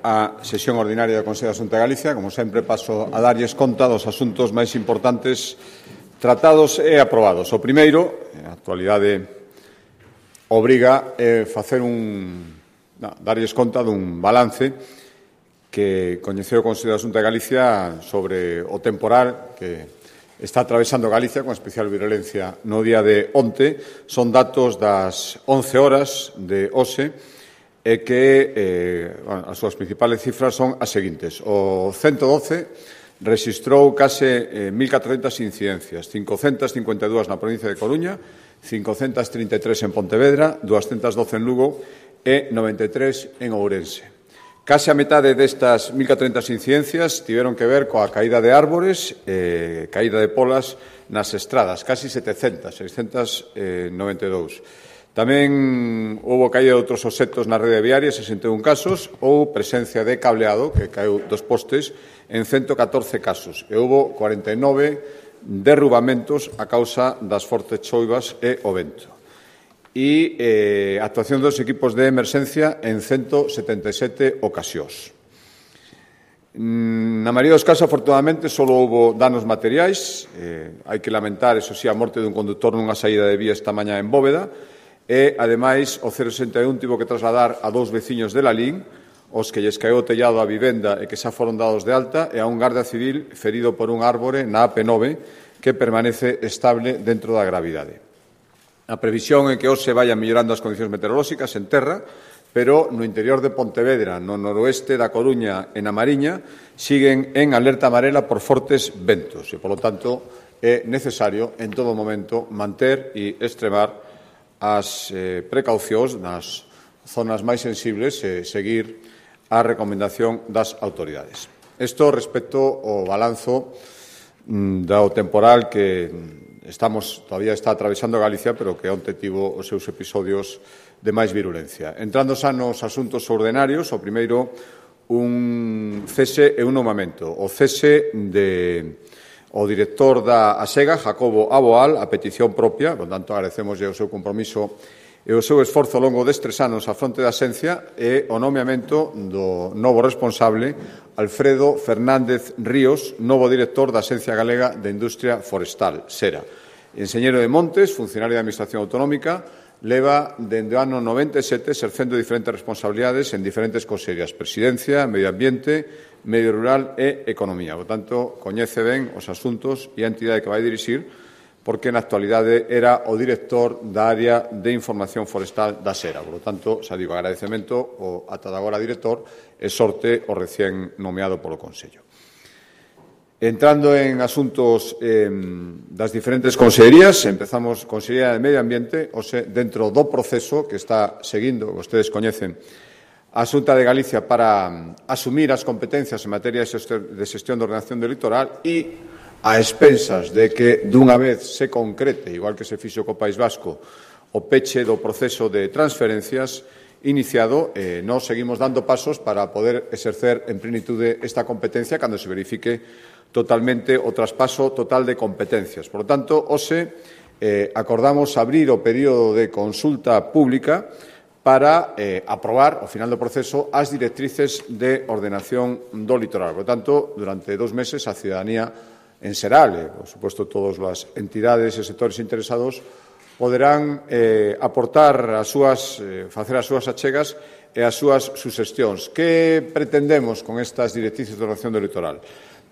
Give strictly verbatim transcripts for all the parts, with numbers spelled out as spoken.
a sesión ordinaria do Consello da Xunta de Galicia. Como sempre, paso a darlles conta dos asuntos máis importantes tratados e aprobados. O primeiro, a actualidade obriga a facer un, no, darlles conta dun balance que coñeceu o Consello da Xunta de Galicia sobre o temporal que está atravesando Galicia con especial virulencia no día de onte. Son datos das once horas de hoxe e que eh, bueno, as súas principales cifras son as seguintes. O ciento doce rexistrou case eh, mil catrocentas incidencias, cincocentas cincuenta e dúas na provincia de Coruña, cincocentas trinta e tres en Pontevedra, doscientas doce en Lugo e noventa e tres en Ourense. Case a metade destas mil catrocentas incidencias tiveron que ver coa caída de árbores, eh, caída de polas nas estradas, casi setecentas, seiscentas noventa e dous. Tamén houve caída de outros obxectos na rede viaria, sesenta e un casos, ou presencia de cableado, que caeu dos postes, en ciento catorce casos. E houve cuarenta e nove derrubamentos a causa das fortes choivas e o vento. E eh, actuación dos equipos de emerxencia en ciento setenta e sete ocasións. Na maioría dos casos, afortunadamente, só houve danos materiais. Eh, hai que lamentar, eso sí, a morte dun conductor nunha saída de vía esta mañá en Bóveda. E, ademais, o cero sesenta e un tivo que trasladar a dous veciños de Lalín, os que lles caeu o tellado á vivenda e que xa foron dados de alta, e a un garda civil ferido por un árbore na A P nove que permanece estable dentro da gravidade. A previsión é que hoxe vayan mellorando as condicións meteorolóxicas en terra, pero no interior de Pontevedra, no noroeste da Coruña e na Mariña, siguen en alerta amarela por fortes ventos e, polo tanto, é necesario en todo momento manter e extremar as eh, precaucións nas zonas máis sensibles e seguir a recomendación das autoridades. Isto respecto ao balanzo mm, do temporal que estamos, todavía está atravesando Galicia, pero que onte tivo os seus episodios de máis virulencia. Entrando xa nos asuntos ordinarios, o primeiro, un cese e un nomamento. O cese de o director da ASEGA, Jacobo Aboal, a petición propia, por tanto, agradecemos o seu compromiso e o seu esforzo ao longo destes anos á fronte da Xencia, e o nomeamento do novo responsable, Alfredo Fernández Ríos, novo director da Xencia Galega de Industria Forestal, SERA. Enxeñeiro de Montes, funcionario da Administración Autonómica, leva dende o ano noventa e sete exercendo diferentes responsabilidades en diferentes consellerías: Presidencia, Medio Ambiente, Medio Rural e Economía. Por tanto, coñece ben os asuntos e a entidade que vai dirixir, porque na actualidade era o director da área de información forestal da SERA. Por lo tanto, xa digo, agradecemento ao ata agora director e sorte o recén nomeado polo Consello. Entrando en asuntos eh, das diferentes consellerías, empezamos Consellería de Medio Ambiente, ose, dentro do proceso que está seguindo, que vostedes coñecen, a Xunta de Galicia para asumir as competencias en materia de xestión de ordenación do litoral e a expensas de que dunha vez se concrete, igual que se fixo co País Vasco, o peche do proceso de transferencias iniciado, eh, nós seguimos dando pasos para poder exercer en plenitude esta competencia cando se verifique totalmente o traspaso total de competencias. Por lo tanto, hoxe eh, acordamos abrir o período de consulta pública para eh, aprobar, ao final do proceso, as directrices de ordenación do litoral. Por tanto, durante dos meses, a ciudadanía en Seral, e, por suposto, todas as entidades e sectores interesados poderán eh, aportar as súas, eh, facer as súas achegas e as súas suxestións. Que pretendemos con estas directrices de ordenación do litoral?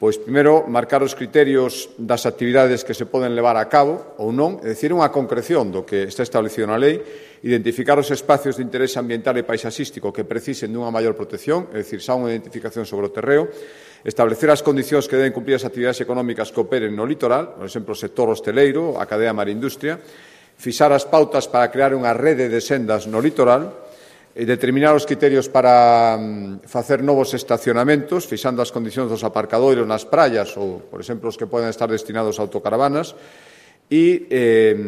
Pois, primeiro, marcar os criterios das actividades que se poden levar a cabo ou non, é dicir, unha concreción do que está establecido na lei, identificar os espacios de interés ambiental e paisaxístico que precisen dunha maior protección, é dicir, xa unha identificación sobre o terreo, establecer as condicións que deben cumprir as actividades económicas que operen no litoral, por exemplo, o sector hosteleiro, a cadea marindustria, fixar as pautas para crear unha rede de sendas no litoral, e determinar os criterios para um, facer novos estacionamentos, fixando as condicións dos aparcadoiros nas praias ou, por exemplo, os que poden estar destinados a autocaravanas, e eh,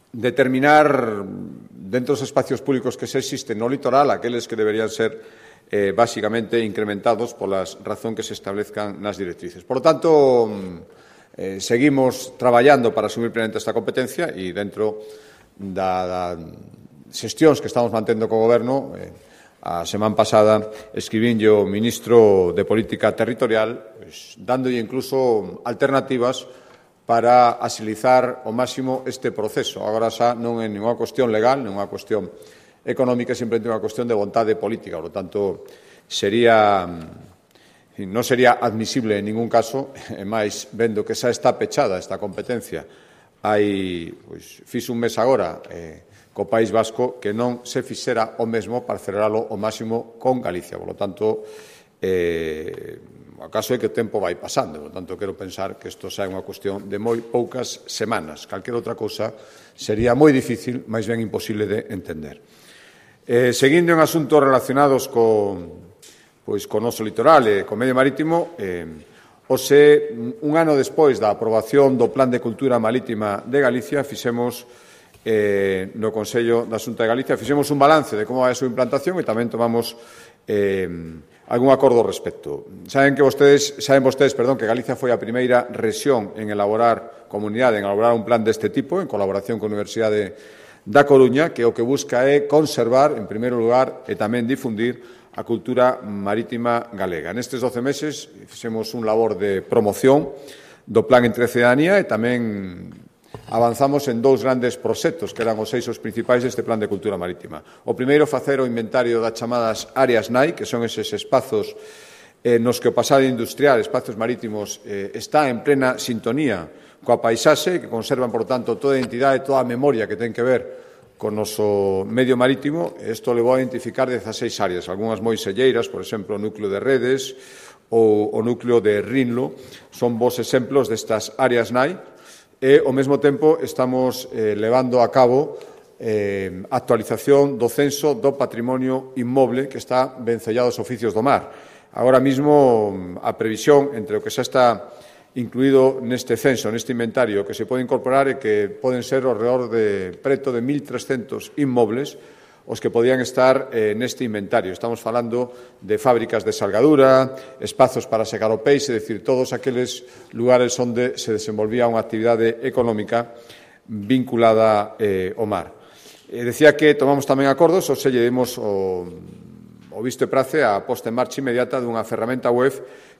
determinar dentro dos espacios públicos que se existen no litoral aqueles que deberían ser eh, basicamente incrementados pola razón que se establezcan nas directrices. Por lo tanto, eh, seguimos traballando para asumir plenamente esta competencia e dentro da, da xestións que estamos mantendo co Goberno, eh, A semana pasada escribínlle ao ministro de Política Territorial, pues, dándolle incluso alternativas para axilizar ao máximo este proceso. Agora xa non é ninguna cuestión legal, non é unha cuestión económica, simplemente unha cuestión de vontade política. Por lo tanto, sería, non sería admisible en ningún caso, e máis vendo que xa está pechada esta competencia. Hai, pois, fixo un mes agora eh, co País Vasco que non se fixera o mesmo para aceleralo ao máximo con Galicia. Por lo tanto, eh, acaso é que o tempo vai pasando. Por lo tanto, quero pensar que isto xa é unha cuestión de moi poucas semanas. Calquera outra cousa sería moi difícil, máis ben imposible de entender. Eh, seguindo en asuntos relacionados con, pois, con o noso litoral e co medio marítimo, eh, ose, un ano despois da aprobación do Plan de Cultura Marítima de Galicia, fixemos eh, no Consello da Xunta de Galicia, fixemos un balance de como vai a súa implantación e tamén tomamos eh, algún acordo ao respecto. Saben que vostedes, saben vostedes, perdón, que Galicia foi a primeira rexión en elaborar comunidade, en elaborar un plan deste tipo, en colaboración con a Universidade da Coruña, que o que busca é conservar, en primeiro lugar, e tamén difundir a cultura marítima galega. Nestes doce meses fixemos un labor de promoción do plan entre cidadanía e tamén avanzamos en dous grandes proxectos que eran os eixos principais deste plan de cultura marítima. O primeiro, facer o inventario das chamadas áreas N A I, que son eses espazos eh, nos que o pasado industrial, espazos marítimos, eh, está en plena sintonía coa paisaxe, que conservan, por tanto, toda a identidade e toda a memoria que ten que ver con o noso medio marítimo. Isto levou a identificar dezaseis áreas, algunhas moi selleiras, por exemplo, o núcleo de Redes ou o núcleo de Rinlo, son bons exemplos destas áreas N A I, e, ao mesmo tempo, estamos eh, levando a cabo eh, actualización do censo do patrimonio inmoble que está vencellado aos oficios do mar. Agora mesmo, a previsión entre o que xa está incluído neste censo, neste inventario, que se pode incorporar e que poden ser ao redor de preto de mil trescentos inmobles os que podían estar eh, neste inventario. Estamos falando de fábricas de salgadura, espazos para secar o peixe, é dicir, todos aqueles lugares onde se desenvolvía unha actividade económica vinculada eh, ao mar. Eh, decía que tomamos tamén acordos, ou se lle demos o, o visto e prace a posta en marcha inmediata dunha ferramenta web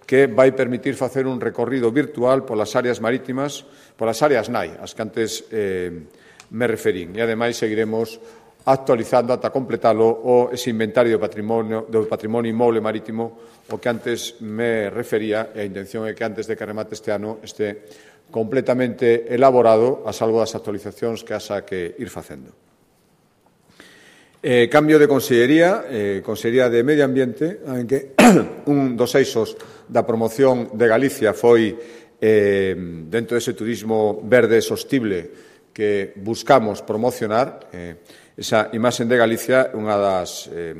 que vai permitir facer un recorrido virtual polas áreas marítimas, polas áreas N A I, as que antes eh, me referín. E, ademais, seguiremos actualizando ata completalo o ese inventario do patrimonio, do patrimonio inmoble marítimo, o que antes me refería, e a intención é que antes de que remate este ano este completamente elaborado, a salvo das actualizacións que haxa que ir facendo. Eh, cambio de consellería, eh, Consellería de Medio Ambiente, en que un dos eixos da promoción de Galicia foi eh, dentro dese turismo verde e sostible que buscamos promocionar. Eh, esa imaxe de Galicia, unha das eh,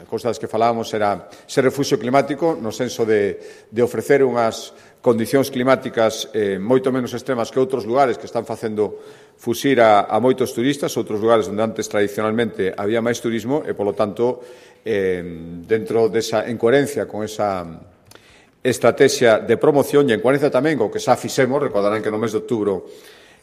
cousas que falábamos era ser refuxio climático, no senso de, de ofrecer unhas condicións climáticas eh, moito menos extremas que outros lugares que están facendo fuxir a, a moitos turistas, outros lugares onde antes tradicionalmente había máis turismo e, polo tanto, eh, dentro desa encoherencia con esa estrategia de promoción e en coherencia tamén co que xa fixemos, recordarán que no mes de outubro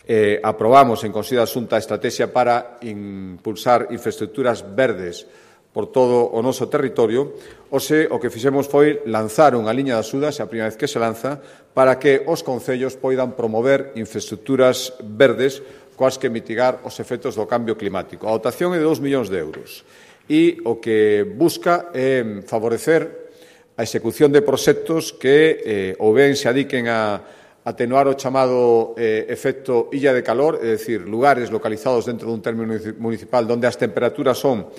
eh, aprobamos en Consello da Xunta a estrategia para impulsar infraestructuras verdes por todo o noso territorio, ose o que fixemos foi lanzar unha liña de axudas, a primeira vez que se lanza, para que os concellos poidan promover infraestructuras verdes coas que mitigar os efectos do cambio climático. A dotación é de dous millóns de euros e o que busca é favorecer a execución de proxectos que eh, ou ben se adiquen a atenuar o chamado eh, efecto illa de calor, é dicir, lugares localizados dentro dun término municipal onde as temperaturas son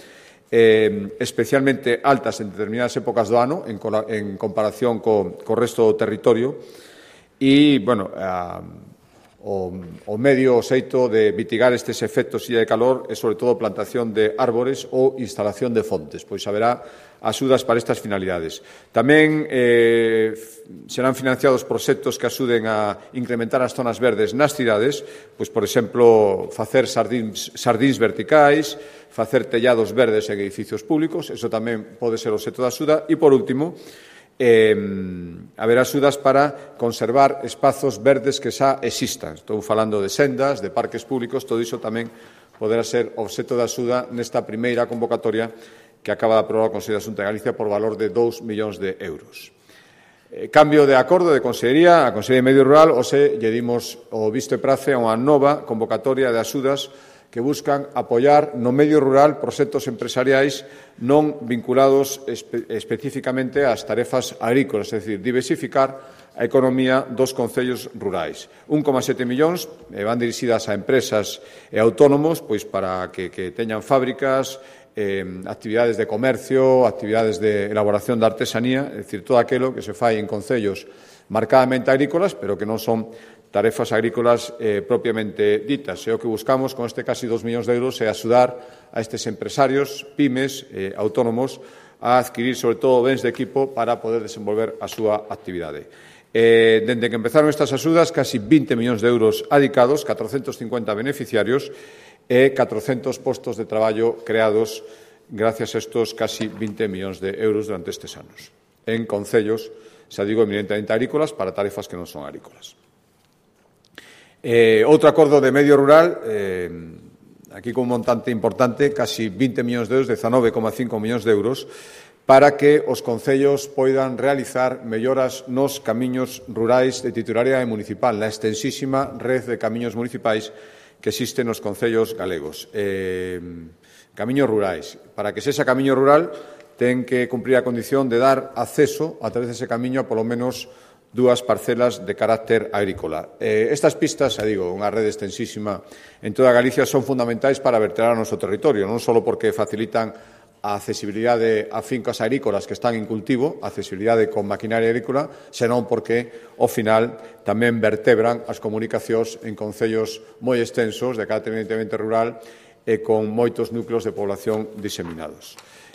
eh, especialmente altas en determinadas épocas do ano en, en comparación co, co resto do territorio e, bueno, a, o, o medio xeito de mitigar estes efectos illa de calor é, sobre todo, plantación de árbores ou instalación de fontes, pois haberá axudas para estas finalidades. Tamén eh, serán financiados proxectos que axuden a incrementar as zonas verdes nas cidades, pois, por exemplo, facer sardíns, sardíns verticais, facer tellados verdes en edificios públicos, eso tamén pode ser obxecto de axuda. E, por último, eh, haber axudas para conservar espazos verdes que xa existan. Estou falando de sendas, de parques públicos, todo iso tamén poderá ser obxecto de axuda nesta primeira convocatoria que acaba de aprobar o Consello da Xunta de Galicia por valor de dous millóns de euros. Eh, cambio de acordo de Consellería, a Consellería de Medio Rural, hoxe lle dimos o visto e prace a unha nova convocatoria de axudas que buscan apoiar no medio rural proxectos empresariais non vinculados espe especificamente ás tarefas agrícolas, é dicir, diversificar a economía dos concellos rurais. un coma sete millóns eh, van dirixidas a empresas e autónomos pois para que, que teñan fábricas, eh, actividades de comercio, actividades de elaboración de artesanía, é dicir, todo aquilo que se fai en concellos marcadamente agrícolas, pero que non son tarefas agrícolas eh, propiamente ditas. E o que buscamos con este casi dos millóns de euros é axudar a estes empresarios, pymes, eh, autónomos, a adquirir, sobre todo, bens de equipo para poder desenvolver a súa actividade. Eh, dende que empezaron estas axudas, casi vinte millóns de euros adicados, catrocentos cincuenta beneficiarios e catrocentos postos de traballo creados gracias a estos casi vinte millóns de euros durante estes anos en concellos, xa digo, eminentemente agrícolas para tarefas que non son agrícolas. Eh, outro acordo de medio rural, eh, aquí con un montante importante, casi vinte millóns de euros, dezanove coma cinco millóns de euros, para que os concellos poidan realizar melloras nos camiños rurais de titularidade municipal, na extensísima red de camiños municipais que existe nos concellos galegos. Eh, camiños rurais. Para que sexa camiño rural, ten que cumprir a condición de dar acceso a través dese camiño a polo menos dúas parcelas de carácter agrícola. Eh, estas pistas, xa digo, unha rede extensísima en toda Galicia, son fundamentais para vertebrar o noso territorio, non só porque facilitan a accesibilidade a fincas agrícolas que están en cultivo, a accesibilidade con maquinaria agrícola, senón porque, ao final, tamén vertebran as comunicacións en concellos moi extensos, de carácter evidentemente rural, e con moitos núcleos de población diseminados.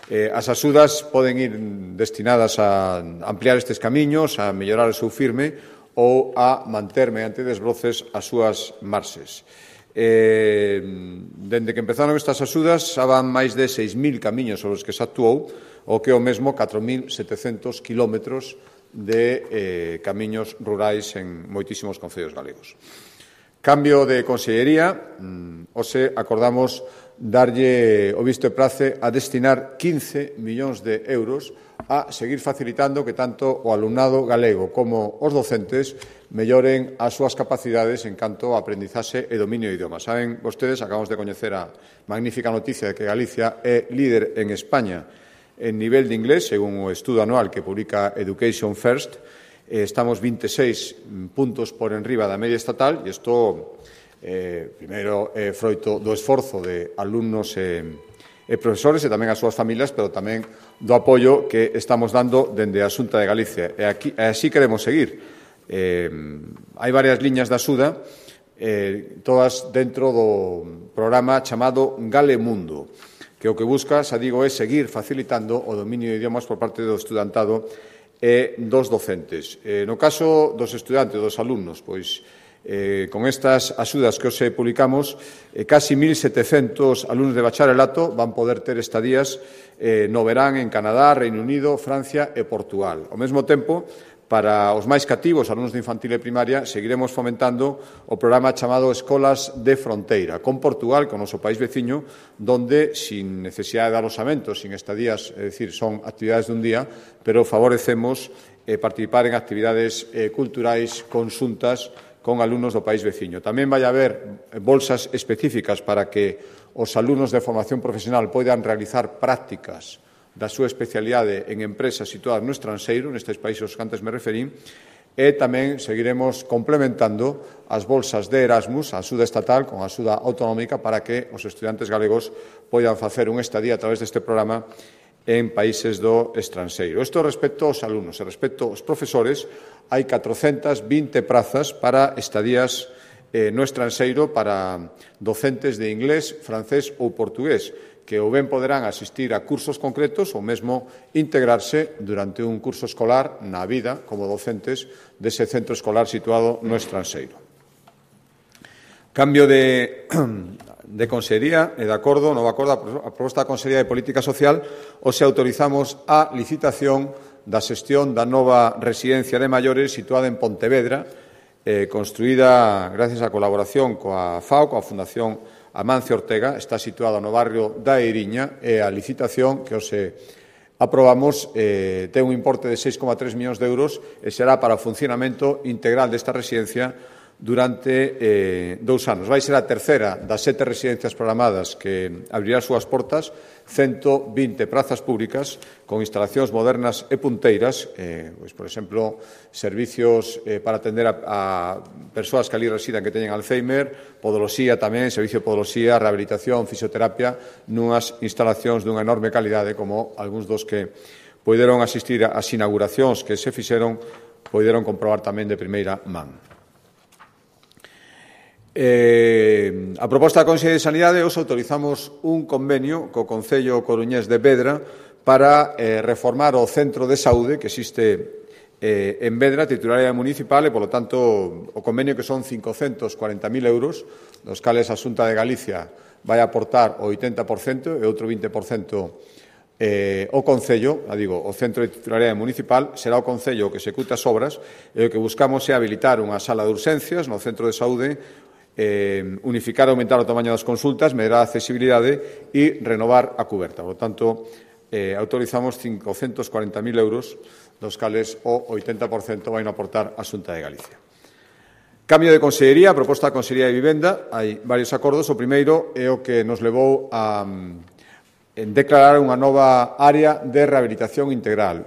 Eh, as axudas poden ir destinadas a ampliar estes camiños, a mellorar o seu firme ou a manter mediante desbroces as súas marxes. Eh, dende que empezaron estas axudas, xa van máis de seis mil camiños sobre os que se actuou, o que é o mesmo catro mil setecentos kilómetros de eh, camiños rurais en moitísimos concellos galegos. Cambio de consellería, mm, hoxe acordamos darlle o visto e prace a destinar quince millóns de euros a seguir facilitando que tanto o alumnado galego como os docentes melloren as súas capacidades en canto a aprendizaxe e dominio de idiomas. Saben vostedes, acabamos de coñecer a magnífica noticia de que Galicia é líder en España en nivel de inglés, según o estudo anual que publica Education First. Eh, estamos veintiséis puntos por enriba da media estatal e isto, eh, primeiro, é eh, froito do esforzo de alumnos e, e profesores e tamén as súas familias, pero tamén do apoio que estamos dando dende a Xunta de Galicia. E, aquí, e así queremos seguir. Eh, hai varias liñas de axuda, eh, todas dentro do programa chamado Galemundo, que o que busca, xa digo, é seguir facilitando o dominio de idiomas por parte do estudantado e dos docentes. Eh, no caso dos estudantes, dos alumnos, pois, eh, con estas axudas que hoxe publicamos, eh, casi mil setecentos alumnos de bacharelato van poder ter estadías eh, no verán en Canadá, Reino Unido, Francia e Portugal. Ao mesmo tempo, para os máis cativos, alumnos de infantil e primaria, seguiremos fomentando o programa chamado Escolas de Fronteira, con Portugal, con o noso país veciño, donde, sin necesidade de aloxamento, sin estadías, é dicir, son actividades dun día, pero favorecemos eh, participar en actividades eh, culturais conxuntas con alumnos do país veciño. Tamén vai haber bolsas específicas para que os alumnos de formación profesional poidan realizar prácticas da súa especialidade en empresas situadas no estranxeiro, nestes países aos que antes me referín, e tamén seguiremos complementando as bolsas de Erasmus, a axuda estatal con a axuda autonómica para que os estudantes galegos poidan facer un estadía a través deste programa en países do estranxeiro. Isto respecto aos alumnos e respecto aos profesores, hai catrocentas vinte prazas para estadías eh, no estranxeiro para docentes de inglés, francés ou portugués, que ou ben poderán asistir a cursos concretos ou mesmo integrarse durante un curso escolar na vida como docentes dese centro escolar situado no estranxeiro. Cambio de, de consellería e de acordo, novo acordo, a proposta da Consellería de Política Social, hoxe autorizamos a licitación da xestión da nova residencia de maiores situada en Pontevedra, eh, construída gracias á colaboración coa F A O, coa Fundación Amancio Ortega, está situada no barrio da Eiriña, e a licitación que hoxe aprobamos eh, ten un importe de seis coma tres millóns de euros e será para o funcionamento integral desta residencia durante eh, dous anos. Vai ser a terceira das sete residencias programadas que abrirá as súas portas, ciento vinte prazas públicas con instalacións modernas e punteiras, eh, pois, por exemplo, servicios eh, para atender a, a persoas que ali residan que teñen Alzheimer, podoloxía tamén, servicio de podoloxía, rehabilitación, fisioterapia, nunhas instalacións dunha enorme calidade como algúns dos que poideron asistir ás inauguracións que se fixeron, poideron comprobar tamén de primeira man. Eh, a proposta da Consellería de Sanidade, hoxe autorizamos un convenio co Concello coruñés de Vedra para eh, reformar o centro de saúde que existe eh, en Vedra, titularidade municipal, e, polo tanto, o convenio que son cincocentos cuarenta mil euros, dos cales a Xunta de Galicia vai aportar o oitenta por cento e outro vinte por cento eh, o Concello, a digo, o centro de titularidade municipal, será o Concello que executa as obras, e o que buscamos é habilitar unha sala de urxencias no centro de saúde, Eh, unificar e aumentar o tamaño das consultas, mellorar a accesibilidade e renovar a cuberta. Por lo tanto, eh, autorizamos cincocentos cuarenta mil euros, dos cales o oitenta por cento vai aportar a Xunta de Galicia. Cambio de consellería, proposta da Consellería de Vivenda, hai varios acordos. O primeiro é o que nos levou a en declarar unha nova área de rehabilitación integral,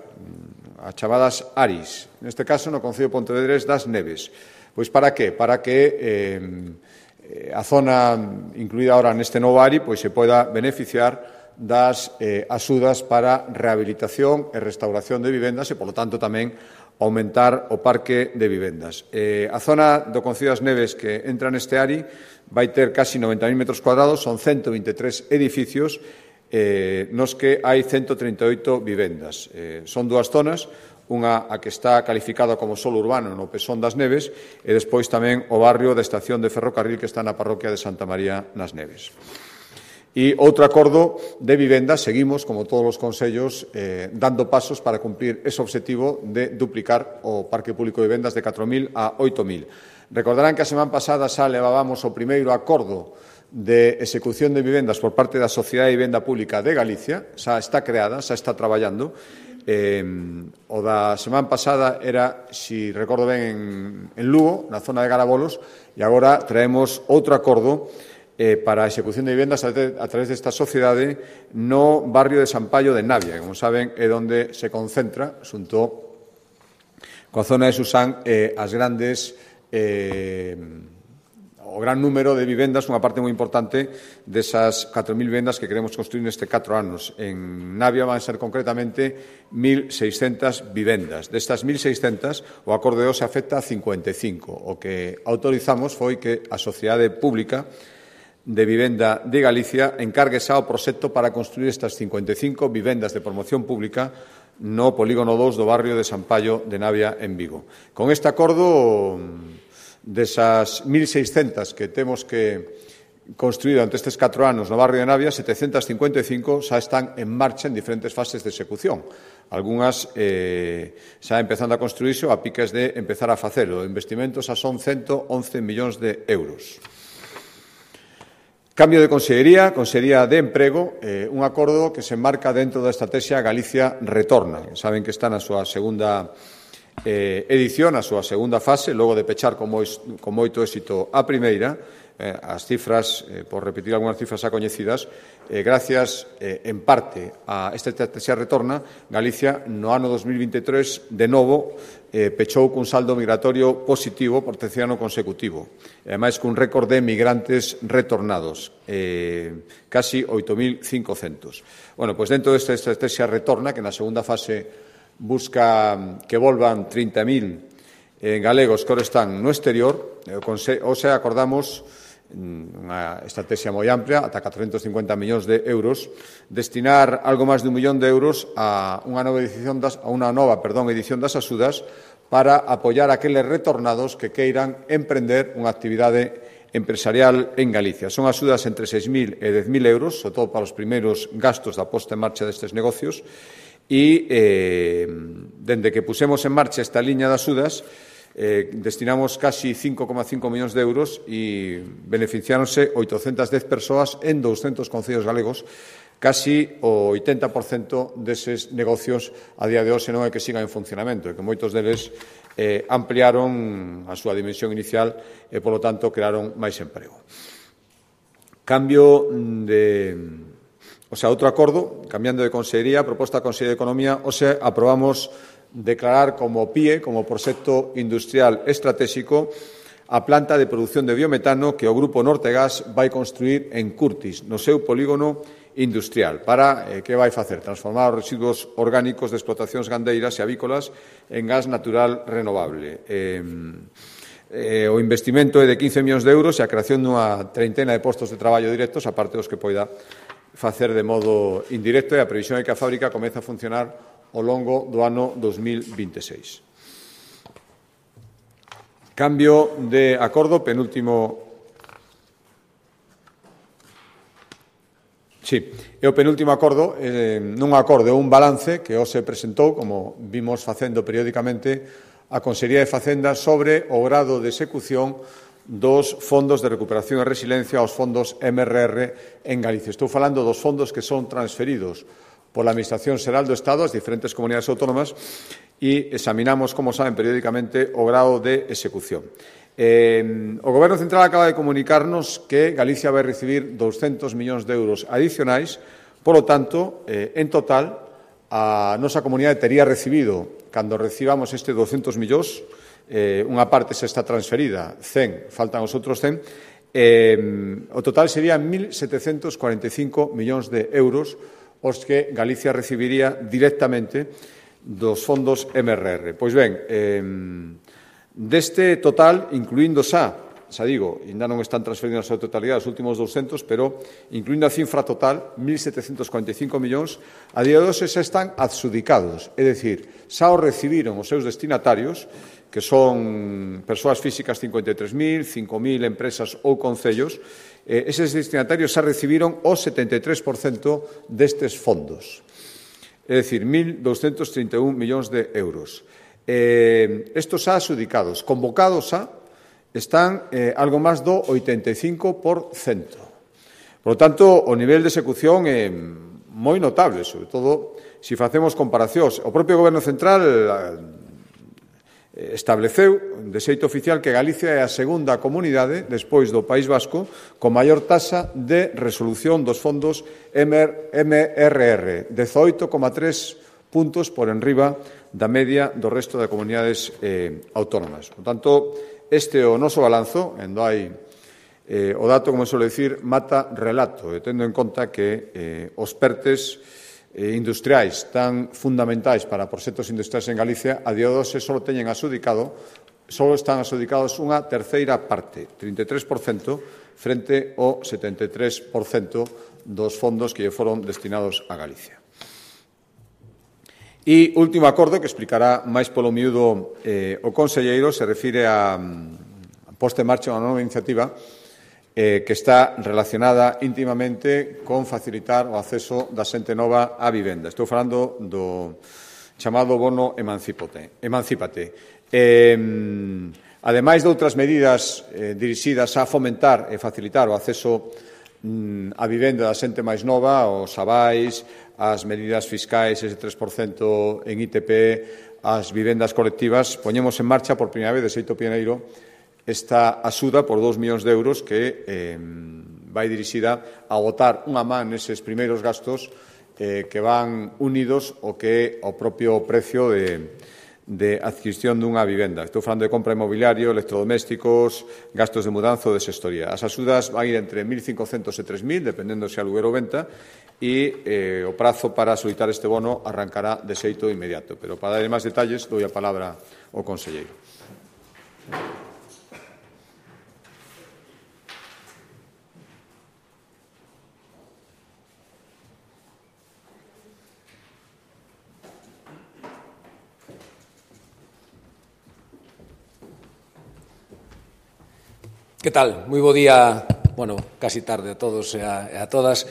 as chamadas A R I S, neste caso no Concello de Pontevedra das Neves. Pois para que? Para que eh, a zona incluída ahora neste novo A R I pois se poida beneficiar das eh, axudas para rehabilitación e restauración de vivendas e, polo tanto, tamén aumentar o parque de vivendas. Eh, a zona do Concello das Neves que entra neste A R I vai ter casi noventa mil metros cuadrados, son ciento vinte e tres edificios eh, nos que hai ciento trinta e oito vivendas. Eh, son dúas zonas, unha a que está calificada como solo urbano no Pesón das Neves e despois tamén o barrio da estación de ferrocarril que está na parroquia de Santa María nas Neves. E outro acordo de vivenda, seguimos, como todos os concellos, eh, dando pasos para cumplir ese objetivo de duplicar o parque público de vivendas de catro mil a oito mil. Recordarán que a semana pasada xa levábamos o primeiro acordo de execución de vivendas por parte da Sociedade de Vivenda Pública de Galicia, xa está creada, xa está traballando. Eh, o da semana pasada era, si recordo ben, en, en Lugo, na zona de Garabolos, e agora traemos outro acordo eh, para a execución de vivendas a, a través desta sociedade no barrio de San Paio de Navia, que, como saben, é onde se concentra, xunto coa zona de Susán, eh, as grandes eh, o gran número de vivendas, unha parte moi importante desas catro mil vivendas que queremos construir neste catro anos. En Navia van ser concretamente mil seiscentas vivendas. Destas mil seiscentas, o acordo de hoxe afecta a cincuenta e cinco. O que autorizamos foi que a Sociedade Pública de Vivenda de Galicia encargue xa o proxecto para construir estas cincuenta e cinco vivendas de promoción pública no polígono dous do barrio de San Paio de Navia en Vigo. Con este acordo, desas mil seiscentas que temos que construir durante estes catro anos no barrio de Navia, setecentas cincuenta e cinco xa están en marcha en diferentes fases de execución. Algúnas eh, xa empezando a construirse ou a piques de empezar a facelo. O investimento xa son ciento once millóns de euros. Cambio de consellería, Consellería de Emprego, eh, un acordo que se enmarca dentro da estrategia Galicia Retorna. Saben que está na súa segunda Eh, edición, a súa segunda fase, logo de pechar con, moi, con moito éxito a primeira. Eh, as cifras, eh, por repetir algunhas cifras xa coñecidas, eh, gracias eh, en parte a esta estrategia Retorna, Galicia no ano dos mil vinte e tres de novo eh, pechou cun saldo migratorio positivo por terceiro ano consecutivo, e ademais cun récord de migrantes retornados, eh, casi oito mil cincocentos. Bueno, pois dentro desta estrategia Retorna, que na segunda fase busca que volvan trinta mil eh, galegos que ahora están no exterior, ou se acordamos unha estrategia moi amplia, ata catrocentos cincuenta millóns de euros, destinar algo máis de un millón de euros a unha nova edición das, a unha nova, perdón, edición das axudas para apoiar aqueles retornados que queiran emprender unha actividade empresarial en Galicia. Son axudas entre seis mil e dez mil euros, sobre todo para os primeiros gastos da posta en marcha destes negocios. E, eh, dende que pusemos en marcha esta liña de axudas, eh, destinamos casi cinco coma cinco millóns de euros e beneficiáronse oitocentas dez persoas en douscentos concellos galegos, casi o oitenta por cento deses negocios a día de hoxe non é que sigan en funcionamento, e que moitos deles eh, ampliaron a súa dimensión inicial e, polo tanto, crearon máis emprego. Cambio de... O sea, outro acordo, cambiando de consellería, proposta da Consellería de Economía, o sea, aprobamos declarar como P I E, como proxecto industrial estratégico, a planta de produción de biometano que o Grupo Nortegas vai construir en Curtis, no seu polígono industrial, para, eh, que vai facer? Transformar os residuos orgánicos de explotacións gandeiras e avícolas en gas natural renovable. Eh, eh, o investimento é de quince millóns de euros e a creación dunha treintena de postos de traballo directos, aparte dos que poida facer de modo indirecto, e a previsión é que a fábrica comece a funcionar ao longo do ano dos mil veintiséis. Cambio de acordo, penúltimo... Sí, é o penúltimo acordo, eh, nun acordo é un balance que hoxe presentou, como vimos facendo periódicamente, a Consellería de Facenda sobre o grado de execución dos fondos de recuperación e resiliencia, os fondos M R R en Galicia. Estou falando dos fondos que son transferidos pola Administración Xeral do Estado ás diferentes comunidades autónomas e examinamos, como saben, periódicamente o grado de execución. Eh, o Goberno Central acaba de comunicarnos que Galicia vai recibir douscentos millóns de euros adicionais, polo tanto, eh, en total, a nosa comunidade tería recibido, cando recibamos este douscentos millóns, eh, unha parte se está transferida, cen, faltan os outros cen, eh, o total sería mil setecentos cuarenta e cinco millóns de euros os que Galicia recibiría directamente dos fondos M R R. Pois ben, eh, deste total, incluindo xa, xa digo, ainda non están transferidos a totalidade os últimos douscentos, pero incluindo a cifra total, mil setecentos cuarenta e cinco millóns, a día de hoxe xa están adxudicados, é dicir, xa os recibiron os seus destinatarios, que son persoas físicas cincuenta e tres mil, cinco mil empresas ou concellos, eh, eses destinatarios xa recibiron o setenta e tres por cento destes fondos, é dicir, mil douscentos trinta e un millóns de euros. Eh, estos xa adxudicados, convocados xa, están eh, algo máis do oitenta e cinco por cento. Por lo tanto, o nivel de execución é moi notable, sobre todo se facemos comparacións. O propio Goberno Central eh, estableceu de xeito oficial que Galicia é a segunda comunidade, despois do País Vasco, con maior taxa de resolución dos fondos M R R, dezoito coma tres puntos por enriba da media do resto de comunidades eh, autónomas. Por tanto, este é o noso balanzo, endo hai eh, o dato, como suele decir, mata relato, e tendo en conta que eh, os PERTES eh, industriais tan fundamentais para proxectos industriais en Galicia, a día de hoxe só teñen adxudicado, só están adxudicados unha terceira parte, trinta e tres por cento, frente ao setenta e tres por cento dos fondos que lle foron destinados a Galicia. E último acordo, que explicará máis polo miúdo eh, o conselleiro, se refire a, a posta en marcha unha nova iniciativa eh, que está relacionada íntimamente con facilitar o acceso da xente nova á vivenda. Estou falando do chamado bono Emancípate. Emancípate. Eh, ademais de outras medidas eh, dirixidas a fomentar e facilitar o acceso mm, á vivenda da xente máis nova, os avais, as medidas fiscais, ese tres por cento en I T P, as vivendas colectivas, poñemos en marcha por primeira vez de xeito pioneiro esta axuda por dous millóns de euros que eh, vai dirixida a botar unha man neses primeiros gastos eh, que van unidos ao que é o propio precio de, de adquisición dunha vivenda. Estou falando de compra inmobiliario, electrodomésticos, gastos de mudanza ou de xestoría. As axudas van ir entre mil cincocentos e tres mil, dependendo se aluguer ou venta, e eh, o prazo para solicitar este bono arrancará de xeito inmediato. Pero para dar máis detalles, dou a palabra ao conselleiro. Que tal? Moi bo día, bueno, casi tarde a todos e a, e a todas.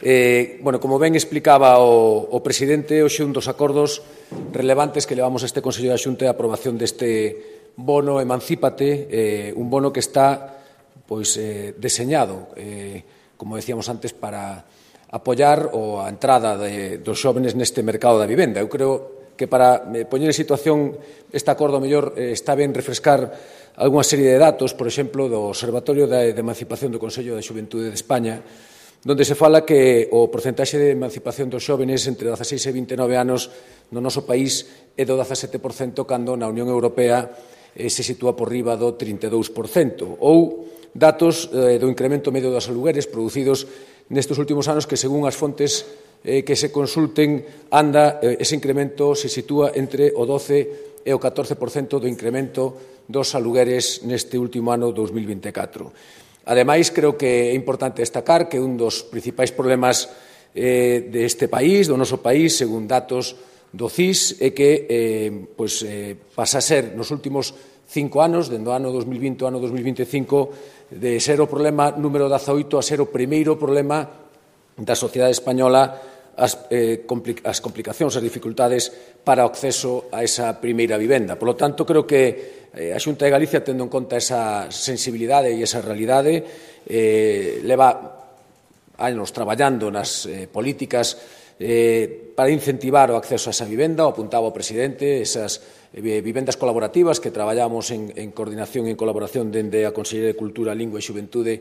Eh, bueno, como ben explicaba o, o presidente, hoxe un dos acordos relevantes que levamos a este Consello da Xunta é a aprobación deste bono Emancípate, eh, un bono que está pois, eh, deseñado, eh, como decíamos antes, para apoiar o a entrada de, dos xóvenes neste mercado da vivenda. Eu creo que para eh, poñer en situación este acordo mellor eh, está ben refrescar algunha serie de datos, por exemplo, do Observatorio de, de Emancipación do Consello da Xuventude de España, donde se fala que o porcentaxe de emancipación dos xóvenes entre dezaseis e vinte e nove anos no noso país é do dezasete por cento, cando na Unión Europea eh, se sitúa por riba do trinta e dous por cento. Ou datos eh, do incremento medio dos alugueres producidos nestes últimos anos que, según as fontes eh, que se consulten, anda, eh, ese incremento se sitúa entre o doce e o catorce por cento do incremento dos alugueres neste último ano dos mil vinte e catro. Ademais, creo que é importante destacar que un dos principais problemas eh, deste país, do noso país, según datos do C I S, é que eh, pois, eh, pasa a ser nos últimos cinco anos, dende o ano dos mil vinte ao ano dos mil vinte e cinco, de ser o problema número dezaoito a ser o primeiro problema da sociedade española as, eh, compli as complicacións, as dificultades para o acceso a esa primeira vivenda. Por lo tanto, creo que eh, a Xunta de Galicia, tendo en conta esa sensibilidade e esa realidade, eh, leva anos traballando nas eh, políticas eh, para incentivar o acceso a esa vivenda. O apuntaba o presidente, esas eh, vivendas colaborativas que traballamos en, en coordinación e en colaboración dende a Consellería de Cultura, Lingua e Xuventude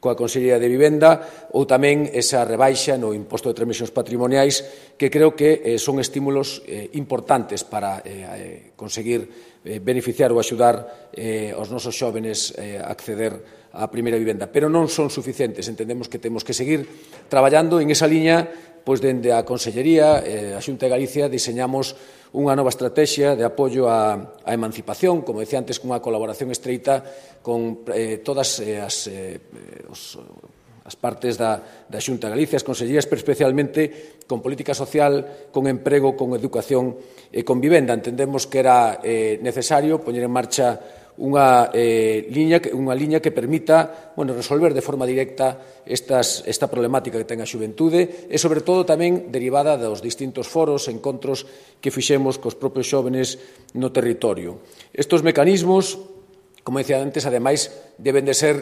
coa Consellería de Vivenda, ou tamén esa rebaixa no imposto de transmisións patrimoniais, que creo que eh, son estímulos eh, importantes para eh, conseguir eh, beneficiar ou axudar eh, aos nosos xóvenes eh, a acceder á primeira vivenda. Pero non son suficientes, entendemos que temos que seguir traballando en esa liña, pois dende a Consellería, eh, a Xunta de Galicia, diseñamos unha nova estrategia de apoio á, á emancipación, como decía antes, cunha colaboración estreita con eh, todas eh, as, eh, os, as partes da, da Xunta de Galicia, as consellerías, pero especialmente con política social, con emprego, con educación e con vivenda. Entendemos que era eh, necesario poñer en marcha unha, eh, liña, unha liña que permita bueno, resolver de forma directa estas, esta problemática que ten a xuventude e, sobre todo, tamén derivada dos distintos foros, encontros que fixemos cos propios xóvenes no territorio. Estes mecanismos, como decía antes, ademais, deben de ser,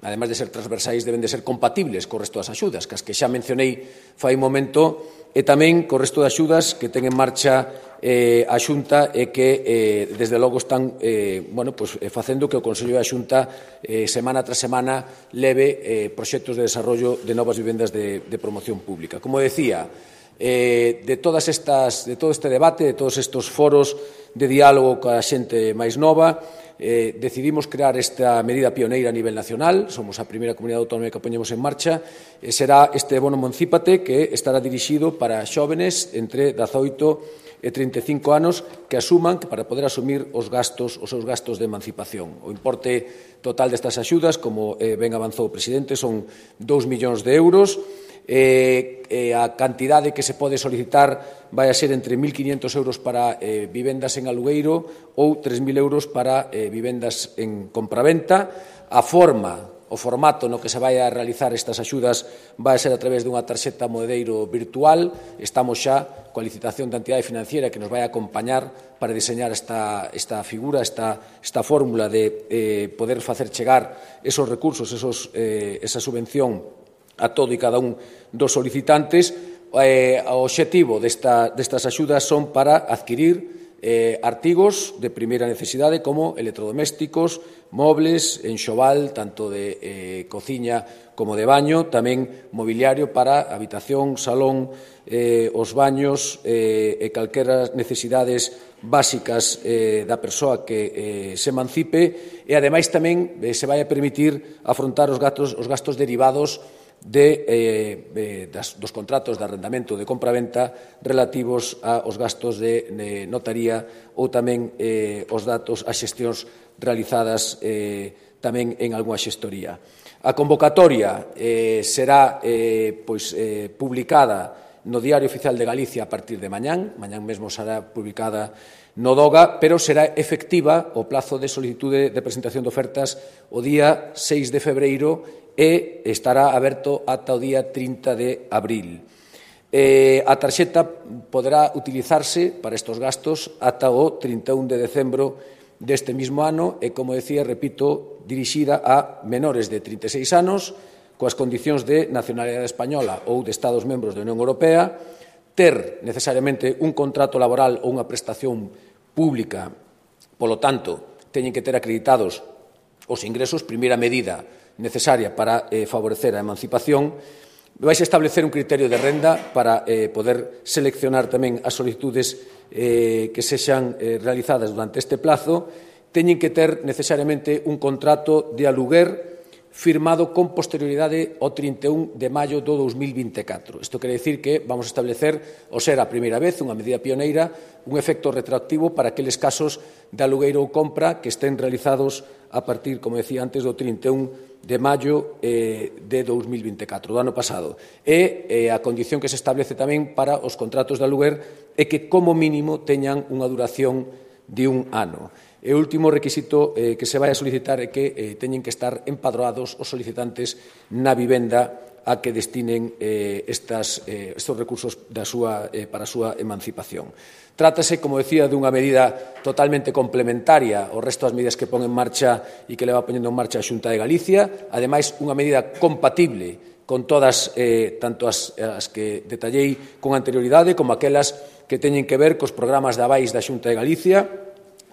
ademais de ser transversais, deben de ser compatibles co resto das axudas, que as que xa mencionei fai un momento, e tamén co resto de axudas que ten en marcha eh, a Xunta e que, eh, desde logo, están eh, bueno, pues, eh, facendo que o Consello da Xunta eh, semana tras semana leve eh, proxectos de desarrollo de novas vivendas de, de promoción pública. Como decía, eh, de, todas estas, de todo este debate, de todos estes foros de diálogo coa xente máis nova, eh, decidimos crear esta medida pioneira a nivel nacional. Somos a primeira comunidade autónoma que poñemos en marcha. E será este bono Emancípate, que estará dirixido para xóvenes entre dezaoito e trinta e cinco anos que asuman que para poder asumir os gastos, os seus gastos de emancipación. O importe total destas axudas, como eh, ben avanzou o presidente, son dous millóns de euros. Eh, eh, a cantidade que se pode solicitar vai a ser entre mil quinientos euros para eh, vivendas en alugueiro ou tres mil euros para eh, vivendas en compraventa. A forma, o formato no que se vai a realizar estas axudas vai a ser a través dunha tarxeta moedeiro virtual. Estamos xa coa licitación da entidade financiera que nos vai a acompañar para diseñar esta, esta figura, esta, esta fórmula de eh, poder facer chegar esos recursos, esos, eh, esa subvención a todo e cada un dos solicitantes. Eh, o obxectivo desta, destas axudas son para adquirir eh, artigos de primeira necesidade como electrodomésticos, mobles, enxoval, tanto de eh, cociña como de baño, tamén mobiliario para habitación, salón, eh, os baños eh, e calqueras necesidades básicas eh, da persoa que eh, se emancipe, e ademais tamén eh, se vai a permitir afrontar os gastos, os gastos derivados de, eh, das, dos contratos de arrendamento de compraventa relativos aos gastos de, de notaría ou tamén eh, os datos, as xestións realizadas eh, tamén en algunha xestoría. A convocatoria eh, será eh, pois, eh, publicada no Diario Oficial de Galicia a partir de mañán, mañán mesmo será publicada no DOGA, pero será efectiva o plazo de solicitude de presentación de ofertas o día seis de febreiro e estará aberto ata o día trinta de abril. Eh, a tarxeta poderá utilizarse para estes gastos ata o trinta e un de decembro deste mismo ano e, como decía, repito, dirixida a menores de trinta e seis anos coas condicións de nacionalidade española ou de Estados membros da Unión Europea, ter necesariamente un contrato laboral ou unha prestación pública, polo tanto, teñen que ter acreditados os ingresos, primeira medida necesaria para eh, favorecer a emancipación. Vais a establecer un criterio de renda para eh, poder seleccionar tamén as solicitudes eh, que sexan eh, realizadas durante este plazo. Teñen que ter necesariamente un contrato de aluguer firmado con posterioridade ao trinta e un de maio do dous mil vinte e catro. Isto quere dicir que vamos a establecer, ao ser a primeira vez, unha medida pioneira, un efecto retroactivo para aqueles casos de alugueiro ou compra que estén realizados a partir, como decía antes, do trinta e un de maio eh, de dous mil vinte e catro, do ano pasado. E eh, a condición que se establece tamén para os contratos de aluguer é que, como mínimo, teñan unha duración de un ano. E o último requisito eh, que se vai a solicitar é que eh, teñen que estar empadroados os solicitantes na vivenda a que destinen eh, estas, eh, estes recursos da súa, eh, para a súa emancipación. Trátase, como decía, dunha medida totalmente complementaria ao resto das medidas que pon en marcha e que leva poñendo en marcha a Xunta de Galicia, ademais unha medida compatible con todas, eh, tanto as, as que detallei con anterioridade como aquelas que teñen que ver cos programas de avais da Xunta de Galicia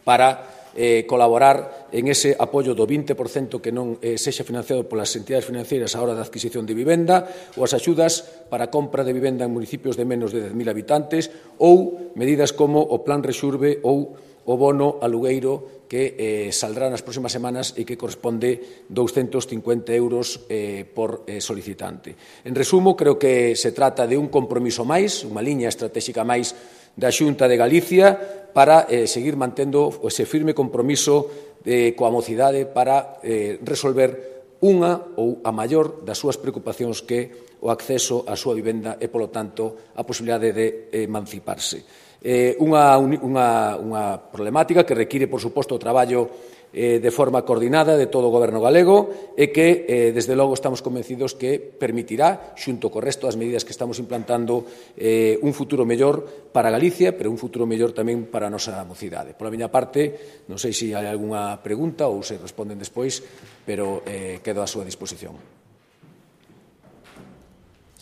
para eh, colaborar en ese apoio do vinte por cento que non eh, sexa financiado polas entidades financeiras á hora da adquisición de vivenda, ou as axudas para a compra de vivenda en municipios de menos de dez mil habitantes, ou medidas como o Plan Rexurbe ou o bono alugueiro que eh, saldrá nas próximas semanas e que corresponde douscentos cincuenta euros eh, por eh, solicitante. En resumo, creo que se trata de un compromiso máis, unha liña estratégica máis da Xunta de Galicia para eh, seguir mantendo ese firme compromiso eh, coa mocidade para eh, resolver unha ou a maior das súas preocupacións que o acceso á súa vivenda e, polo tanto, a posibilidade de emanciparse. Eh, unha, unha, unha problemática que require, por suposto, o traballo eh, de forma coordinada de todo o Goberno galego e que, eh, desde logo, estamos convencidos que permitirá, xunto co resto das medidas que estamos implantando, eh, un futuro mellor para Galicia, pero un futuro mellor tamén para a nosa mocidade. Pola miña parte, non sei se hai algunha pregunta ou se responden despois, pero eh, quedo á súa disposición.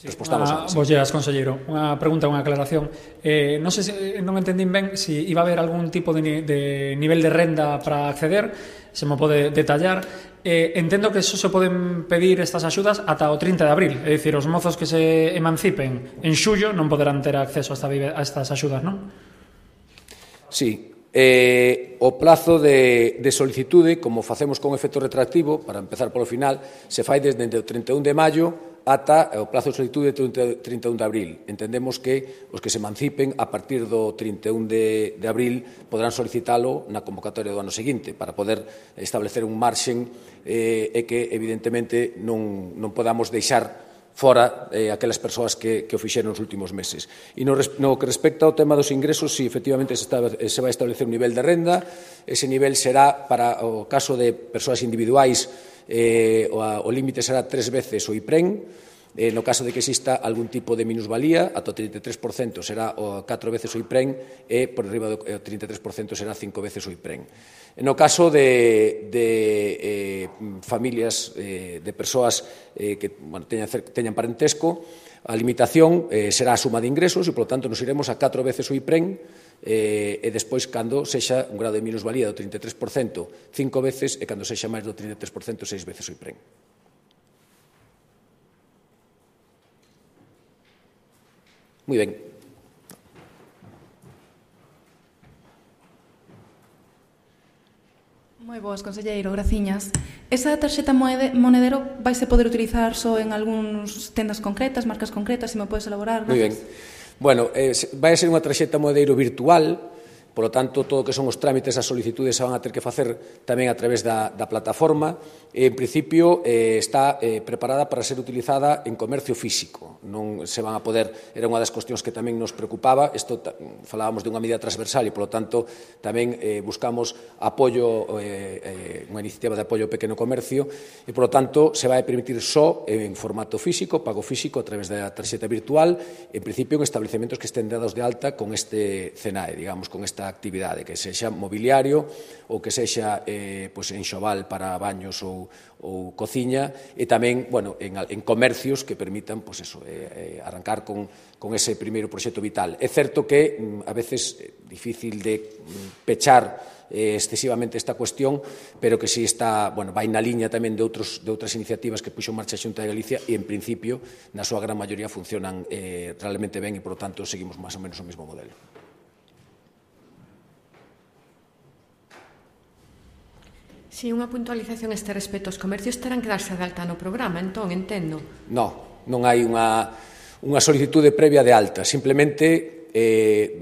Sí, unha, vos lleas, conselleiro. Unha pregunta, unha aclaración. Eh, non sei se non entendín ben se si iba a haber algún tipo de, de nivel de renda para acceder, se me pode detallar. Eh, entendo que eso se poden pedir estas axudas ata o trinta de abril, é dicir, os mozos que se emancipen en xullo non poderán ter acceso a, esta, a estas axudas, non? Sí. Eh, o plazo de, de solicitude, como facemos con efecto retroactivo, para empezar polo final, se fai desde o trinta e un de maio ata o plazo de solicitude de trinta e un de abril. Entendemos que os que se emancipen a partir do trinta e un de, de abril podrán solicitalo na convocatoria do ano seguinte para poder establecer un marxen eh, e que, evidentemente, non, non podamos deixar fora eh, aquelas persoas que, que o fixeron nos últimos meses. E no, no que respecta ao tema dos ingresos, si efectivamente se, está, se vai establecer un nivel de renda, ese nivel será, para o caso de persoas individuais, eh, o, o límite será tres veces o IPREN, eh, no caso de que exista algún tipo de minusvalía, ata o trinta e tres por cento será o catro veces o IPREN e por riba do trinta e tres por cento será cinco veces o IPREN. No caso de, de eh, familias, eh, de persoas eh, que bueno, teñan, teñan parentesco, a limitación eh, será a suma de ingresos e, polo tanto, nos iremos a catro veces o IPREN eh, e despois, cando sexa un grado de minusvalía do trinta e tres por cento, cinco veces, e cando sexa máis do trinta e tres por cento, seis veces o IPREN. Moi ben. Moi boas, conselleiro, graciñas. Esa tarxeta monedero vaise poder utilizar só en algúns tendas concretas, marcas concretas, se me podes elaborar? Moi ben. Bueno, eh, vai a ser unha tarxeta monedero virtual, polo tanto, todo o que son os trámites, as solicitudes se van a ter que facer tamén a través da, da plataforma. En principio, eh, está eh, preparada para ser utilizada en comercio físico. Non se van a poder, era unha das cuestións que tamén nos preocupaba. Isto falábamos de unha medida transversal e, polo tanto, tamén eh, buscamos apoio, eh, eh, unha iniciativa de apoio ao pequeno comercio e, polo tanto, se vai a permitir só en formato físico, pago físico a través da tarxeta virtual, en principio en establecementos que estén dados de alta con este C N A E, digamos, con esta esta actividade, que sexa mobiliario ou que sexa eh, pues, enxoval para baños ou, ou cociña, e tamén, bueno, en, en comercios que permitan, pues eso, eh, eh, arrancar con, con ese primeiro proxecto vital. É certo que mm, a veces é difícil de mm, pechar eh, excesivamente esta cuestión, pero que si está, bueno, vai na liña tamén de, outros, de outras iniciativas que puxo en marcha a Xunta de Galicia e, en principio, na súa gran maioría funcionan eh, realmente ben e, por lo tanto, seguimos máis ou menos o mesmo modelo. Si, unha puntualización a este respecto. Os comercios terán que darse de alta no programa, entón, entendo. No, non hai unha, unha solicitude previa de alta, simplemente Eh,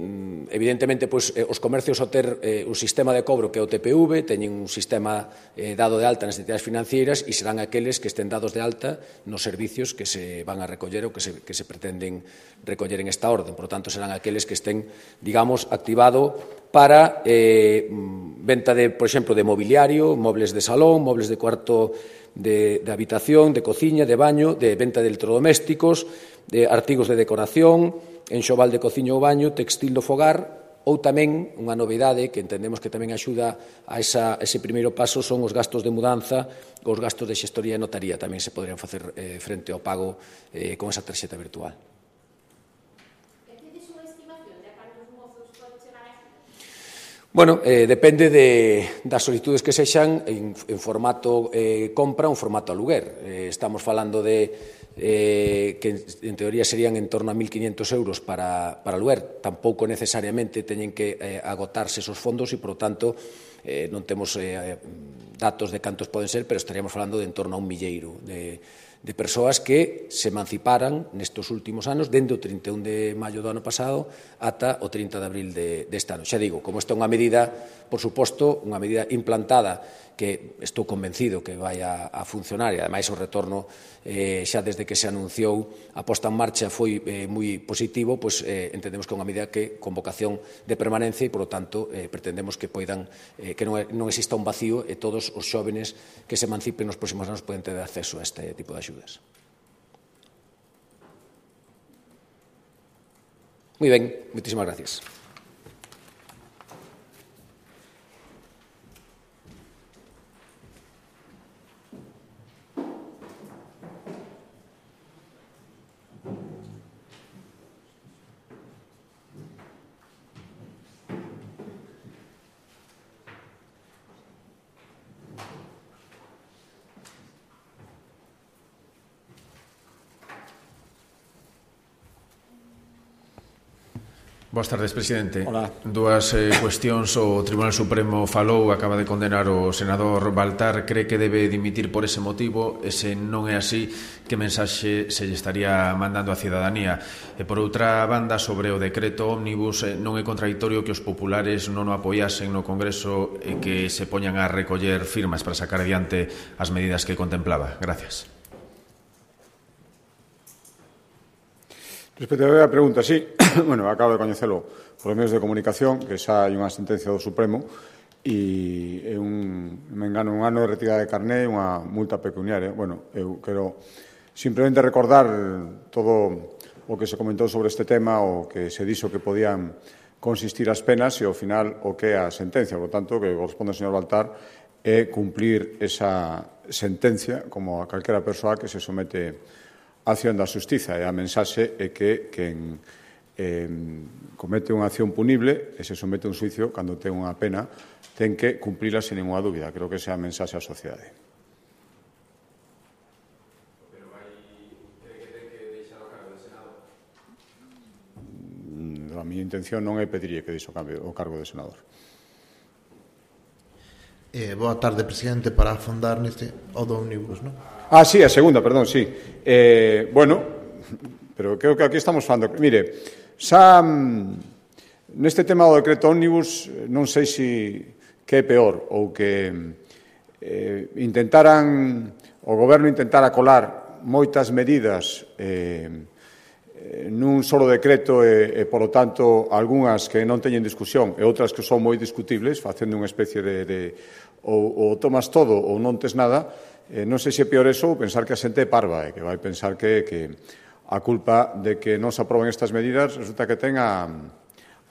evidentemente, pois, eh, os comercios ao ter eh, un sistema de cobro que é o T P V, teñen un sistema eh, dado de alta nas entidades financeiras e serán aqueles que estén dados de alta nos servicios que se van a recoller ou que se, que se pretenden recoller en esta orden. Por lo tanto, serán aqueles que estén, digamos, activado para eh, venta de, por exemplo, de mobiliario, mobles de salón, mobles de cuarto de, de habitación, de cociña, de baño, de venta de electrodomésticos, de artigos de decoración, enxoval de cociña ou baño, textil do fogar, ou tamén, unha novidade que entendemos que tamén axuda a, esa, a ese primeiro paso, son os gastos de mudanza, os gastos de xestoría e notaría, tamén se poderían facer eh, frente ao pago eh, con esa tarxeta virtual. Bueno, eh, depende de, das solicitudes que sexan en, en formato eh, compra ou en formato aluguer. Eh, estamos falando de Eh, que en teoría serían en torno a mil quinientos euros para, para aluguer. Tampouco necesariamente teñen que eh, agotarse esos fondos e, por lo tanto, eh, non temos eh, datos de cantos poden ser, pero estaríamos falando de en torno a un milleiro de, de persoas que se emanciparan nestes últimos anos, dende o trinta e un de maio do ano pasado ata o trinta de abril de, deste ano. Xa digo, como esta é unha medida, por suposto, unha medida implantada que estou convencido que vai a, a funcionar, e ademais o retorno eh, xa desde que se anunciou a posta en marcha foi eh, moi positivo, pois eh, entendemos que é unha medida que con vocación de permanencia e, por lo tanto, eh, pretendemos que poidan eh, que non, non exista un vacío e todos os xóvenes que se emancipen nos próximos anos poden ter acceso a este tipo de axudas. Moi ben, moitísimas gracias. Boas tardes, presidente. Hola. Dúas eh, cuestións. O Tribunal Supremo falou, acaba de condenar o senador Baltar. Cree que debe dimitir por ese motivo? E se non é así, que mensaxe se lle estaría mandando á cidadanía? E por outra banda, sobre o decreto ómnibus, eh, non é contradictorio que os populares non o apoiasen no Congreso e que se poñan a recoller firmas para sacar adiante as medidas que contemplaba? Gracias. Respecto a pregunta, sí, bueno, acabo de coñecelo por medios de comunicación, que xa hai unha sentencia do Supremo e é un, me engano, un ano de retirada de carné e unha multa pecuniaria. Bueno, eu quero simplemente recordar todo o que se comentou sobre este tema, o que se dixo que podían consistir as penas e, ao final, o que é a sentencia. Por tanto, que corresponde ao señor Baltar é cumplir esa sentencia como a calquera persoa que se somete a acción da xustiza, e a mensaxe é que quen eh, comete unha acción punible e se somete a un xuicio cando ten unha pena ten que cumplila sin ninguna dúbida. Creo que esa é a mensaxe á sociedade. Pero vai cree que ten que deixar o cargo de senador? A miña intención non é pedirlle que deixe o cargo de senador. Eh, boa tarde, presidente, para afondar neste o do ómnibus, non? Ah, sí, a segunda, perdón, sí. Eh, bueno, pero creo que aquí estamos falando. Mire, xa neste tema do decreto ómnibus non sei se que é peor ou que eh, intentaran, o goberno intentara colar moitas medidas eh, nun solo decreto e, e, polo tanto, algunhas que non teñen discusión e outras que son moi discutibles, facendo unha especie de, de ou, ou tomas todo ou non tes nada. Eh, non sei se é peor eso ou pensar que a xente é parva e que vai pensar que, que a culpa de que non se aproben estas medidas resulta que ten a,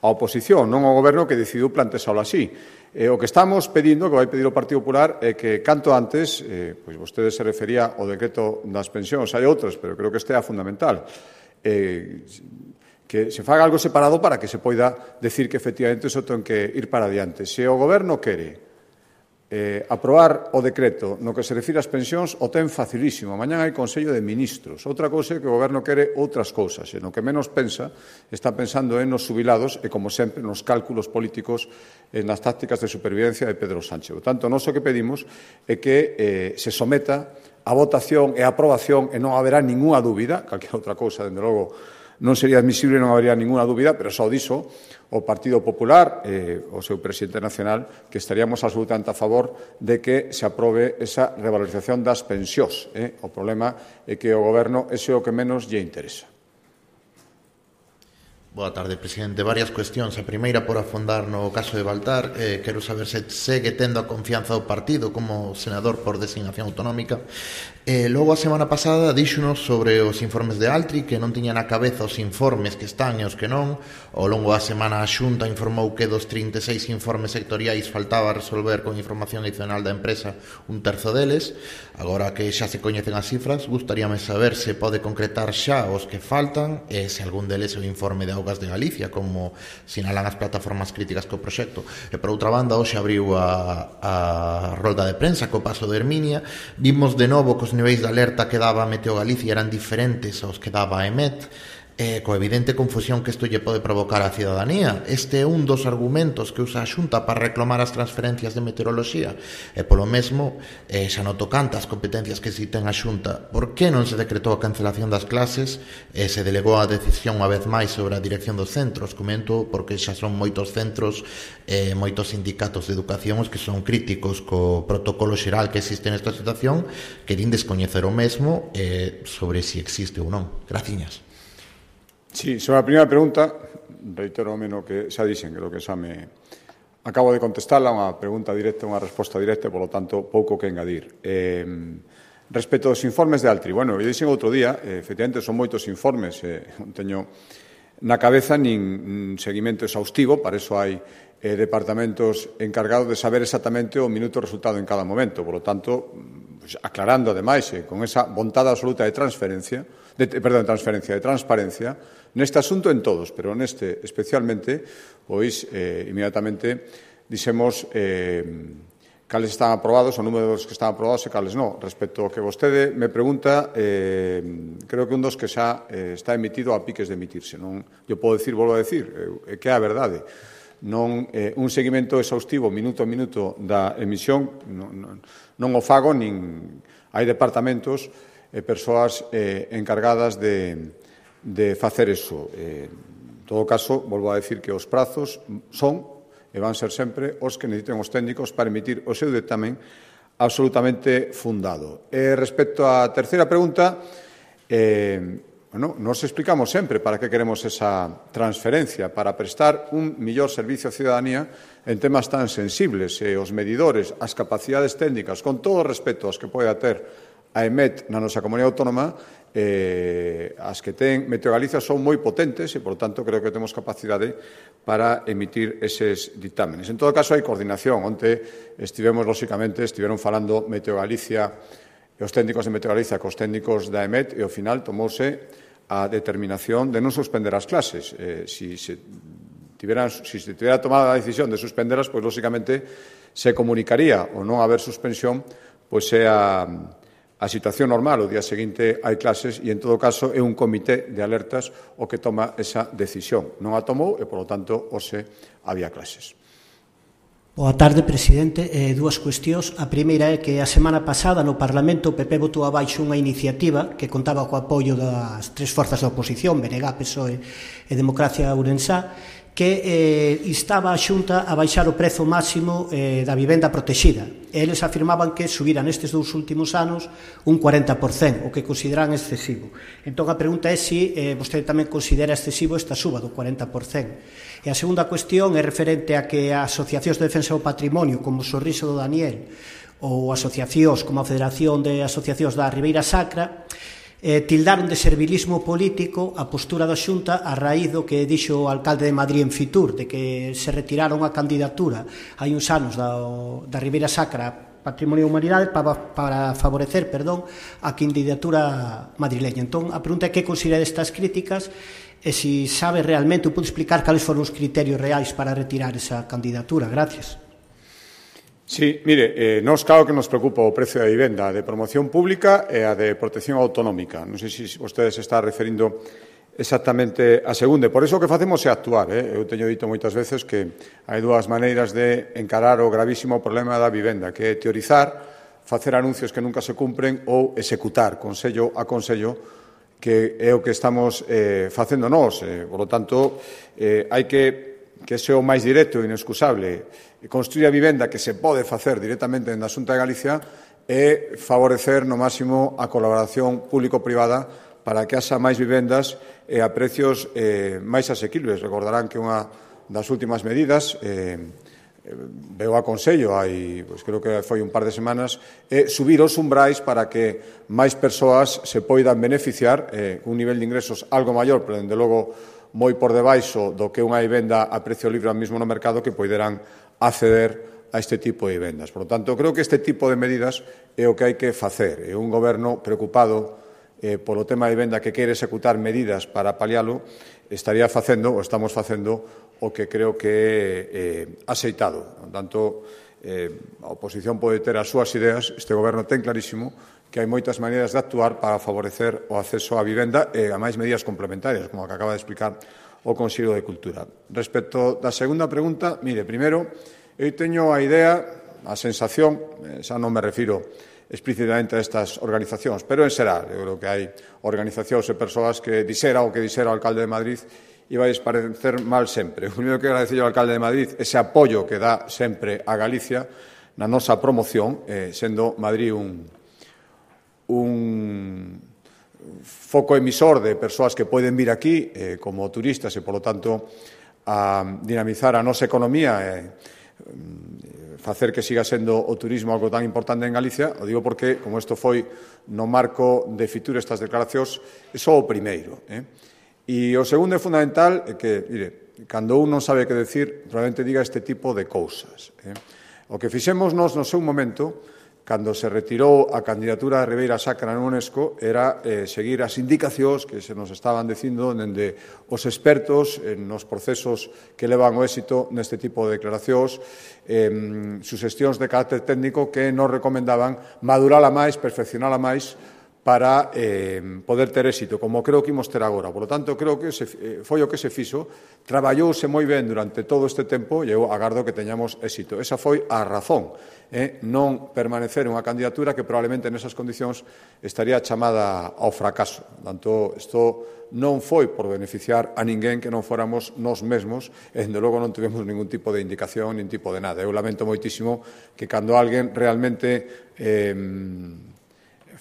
a a oposición, non ao Goberno que decidiu plantexalo así. E o que estamos pedindo, que vai pedir o Partido Popular, é que canto antes, eh, pois vostede se refería ao decreto das pensións, hai outros, pero creo que este é fundamental, eh, que se faga algo separado para que se poida decir que efectivamente iso ten que ir para adiante. Se o Goberno quere Eh, aprobar o decreto no que se refire ás pensións o ten facilísimo. Mañán hai Consello de Ministros. Outra cousa é que o Goberno quere outras cousas. E no que menos pensa, está pensando en nos xubilados e, como sempre, nos cálculos políticos e nas tácticas de supervivencia de Pedro Sánchez. Por tanto, nós o que pedimos é que eh, se someta a votación e a aprobación e non haberá ninguna dúbida, calquera outra cousa, dende logo, non sería admisible, non habería ninguna dúbida, pero só diso o Partido Popular, eh, o seu presidente nacional, que estaríamos absolutamente a favor de que se aprobe esa revalorización das pensións. Eh? O problema é que o Goberno ese é o que menos lle interesa. Boa tarde, presidente. Varias cuestións. A primeira, por afondar no caso de Baltar, eh, quero saber se segue tendo a confianza do partido como senador por designación autonómica. Eh, logo, a semana pasada, díxonos sobre os informes de Altri, que non tiñan na cabeza os informes que están e os que non. Ao longo da semana, a Xunta informou que dos trinta e seis informes sectoriais faltaba resolver con información adicional da empresa un terzo deles. Agora que xa se coñecen as cifras, gustaríame saber se pode concretar xa os que faltan e se algún deles é o informe de Augas de Galicia, como sinalan as plataformas críticas co proxecto. E, por outra banda, hoxe abriu a, a rolda de prensa co paso de Herminia. Vimos de novo que os niveis de alerta que daba Meteo Galicia eran diferentes aos que daba a EMET, eh, coa evidente confusión que isto lle pode provocar á cidadanía. Este é un dos argumentos que usa a Xunta para reclamar as transferencias de meteoroloxía. E polo mesmo, eh, xa non tocante as competencias que si ten a Xunta, por que non se decretou a cancelación das clases e se delegou a decisión unha vez máis sobre a dirección dos centros? Comento porque xa son moitos centros e eh, moitos sindicatos de educación os que son críticos co protocolo xeral que existe nesta situación, que din descoñecer o mesmo eh, sobre si existe ou non. Graciñas. Sí, sobre a primeira pregunta, reitero o menos que xa dixen, creo que xa me acabo de contestarla, unha pregunta directa, unha resposta directa, e, polo tanto, pouco que engadir. Eh, respecto aos informes de Altri, bueno, eu dixen outro día, eh, efectivamente, son moitos informes, eh, non teño na cabeza nin seguimento exhaustivo, para iso hai eh, departamentos encargados de saber exactamente o minuto resultado en cada momento, por lo tanto, pues, aclarando, ademais, eh, con esa vontade absoluta de transferencia, de, perdón, de transferencia, de transparencia, neste asunto en todos, pero neste especialmente, pois, eh, inmediatamente dixemos eh, cales están aprobados, o número dos que están aprobados e cales non. Respecto ao que vostede me pregunta, eh, creo que un dos que xa eh, está emitido a piques de emitirse. Non, eu podo decir, volvo a decir, eh, que é a verdade. Non, eh, un seguimento exhaustivo minuto a minuto da emisión non, non, non o fago, nin hai departamentos e persoas eh, encargadas de, de facer eso. Eh, en todo caso, volvo a decir que os prazos son e van ser sempre os que necesiten os técnicos para emitir o seu dictamen absolutamente fundado. E respecto á terceira pregunta, eh, bueno, nos explicamos sempre para que queremos esa transferencia, para prestar un millor servicio á ciudadanía en temas tan sensibles, e os medidores, as capacidades técnicas, con todo o respeto aos que poida ter a EMET na nosa comunidade autónoma, eh, as que ten Meteo Galicia son moi potentes e, por tanto, creo que temos capacidade para emitir eses dictámenes. En todo caso, hai coordinación. Onte estivemos, lóxicamente, estiveron falando Meteo Galicia e os técnicos de Meteo Galicia cos técnicos da EMET, e, ao final, tomouse a determinación de non suspender as clases. Eh, si se tiveran, si se tivera tomado a decisión de suspenderas, pois, lóxicamente, se comunicaría o non haber suspensión, pois é a a situación normal, o día seguinte hai clases e, en todo caso, é un comité de alertas o que toma esa decisión. Non a tomou e, polo tanto, hoxe había clases. Boa tarde, presidente. Eh, dúas cuestións. A primeira é que a semana pasada no Parlamento o P P votou abaixo unha iniciativa que contaba co apoio das tres forzas da oposición, B N G, P S O E e Democracia Ourensá, que eh, instaba a Xunta a baixar o prezo máximo eh, da vivenda protexida. Eles afirmaban que subira nestes dous últimos anos un cuarenta por cento, o que consideran excesivo. Entón, a pregunta é se eh, vostede tamén considera excesivo esta suba do cuarenta por cento. E a segunda cuestión é referente a que as asociacións de defensa do patrimonio, como o Sorriso do Daniel, ou asociacións como a Federación de Asociacións da Ribeira Sacra, eh, tildaron de servilismo político a postura da Xunta a raíz do que dixo o alcalde de Madrid en Fitur, de que se retiraron a candidatura hai uns anos da, da Ribeira Sacra Patrimonio e Humanidade para, para favorecer, perdón, a candidatura madrileña. Entón, a pregunta é que considera destas críticas e se sabe realmente, ou pode explicar cales foron os criterios reais para retirar esa candidatura. Gracias. Sí, mire, eh, nos claro que nos preocupa o precio da vivenda de promoción pública e a de protección autonómica. Non sei se vostede se está referindo exactamente a segunda. Por iso o que facemos é actuar. Eh? Eu teño dito moitas veces que hai dúas maneiras de encarar o gravísimo problema da vivenda, que é teorizar, facer anuncios que nunca se cumpren ou executar, consello a consello, que é o que estamos eh, facendo nós. Eh, por lo tanto, eh, hai que que ese o máis directo e inexcusable construir a vivenda que se pode facer directamente na Xunta de Galicia e favorecer no máximo a colaboración público-privada para que haxa máis vivendas e a precios eh, máis asequibles. Recordarán que unha das últimas medidas eh, veo a Consello, hai, pois creo que foi un par de semanas, é subir os umbrais para que máis persoas se poidan beneficiar eh, un nivel de ingresos algo maior, pero, dende logo, moi por debaixo do que unha vivenda a precio libre mesmo no mercado que poideran acceder a este tipo de vivendas. Por lo tanto, creo que este tipo de medidas é o que hai que facer. É un goberno preocupado eh, polo tema de vivenda que quere executar medidas para palialo, estaría facendo, ou estamos facendo, o que creo que é eh, aceitado. Por tanto, eh, a oposición pode ter as súas ideas, este goberno ten clarísimo que hai moitas maneiras de actuar para favorecer o acceso á vivenda e a máis medidas complementarias, como a que acaba de explicar o Consello de Cultura. Respecto da segunda pregunta, mire, primeiro, eu teño a idea, a sensación, xa non me refiro explícitamente a estas organizacións, pero en xeral, eu creo que hai organizacións e persoas que dixera o que dixera o alcalde de Madrid e vai parecer mal sempre. O primeiro que agradecer ao alcalde de Madrid ese apoio que dá sempre a Galicia na nosa promoción, eh, sendo Madrid un un foco emisor de persoas que poden vir aquí eh, como turistas e, polo tanto, a dinamizar a nosa economía e eh, facer que siga sendo o turismo algo tan importante en Galicia. O digo porque, como isto foi no marco de Fitur estas declaracións, é só o primeiro. Eh? E o segundo é fundamental é que, mire, cando un non sabe que decir, probablemente diga este tipo de cousas. Eh? O que fixemos nos no seu momento, cando se retirou a candidatura de Ribeira Sacra na UNESCO, era eh, seguir as indicacións que se nos estaban dicindo dende os expertos en nos procesos que levan o éxito neste tipo de declaracións, eh, suxestións de carácter técnico que nos recomendaban madurala máis, perfeccionala máis, para eh, poder ter éxito, como creo que imos ter agora. Por lo tanto, creo que se, eh, foi o que se fixo, traballouse moi ben durante todo este tempo e eu agardo que teñamos éxito. Esa foi a razón, eh, non permanecer unha candidatura que probablemente nesas condicións estaría chamada ao fracaso. Por tanto, isto non foi por beneficiar a ninguén que non fóramos nós mesmos e, dende logo, non tivemos ningún tipo de indicación, nin tipo de nada. Eu lamento moitísimo que cando alguén realmente eh,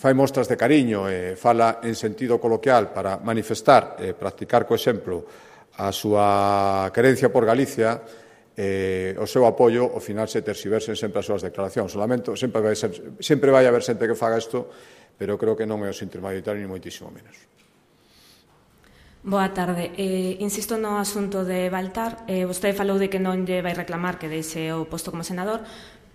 fai mostras de cariño e fala en sentido coloquial para manifestar e practicar co exemplo a súa querencia por Galicia, eh, o seu apoio, ao final se terxiversen sempre as súas declaracións. O lamento, sempre vai, ser, sempre vai haber xente que faga isto, pero creo que non é o sinter mayoritario ni moitísimo menos. Boa tarde. Eh, insisto no asunto de Baltar. Eh, vostede falou de que non lle vai reclamar que deixe o posto como senador,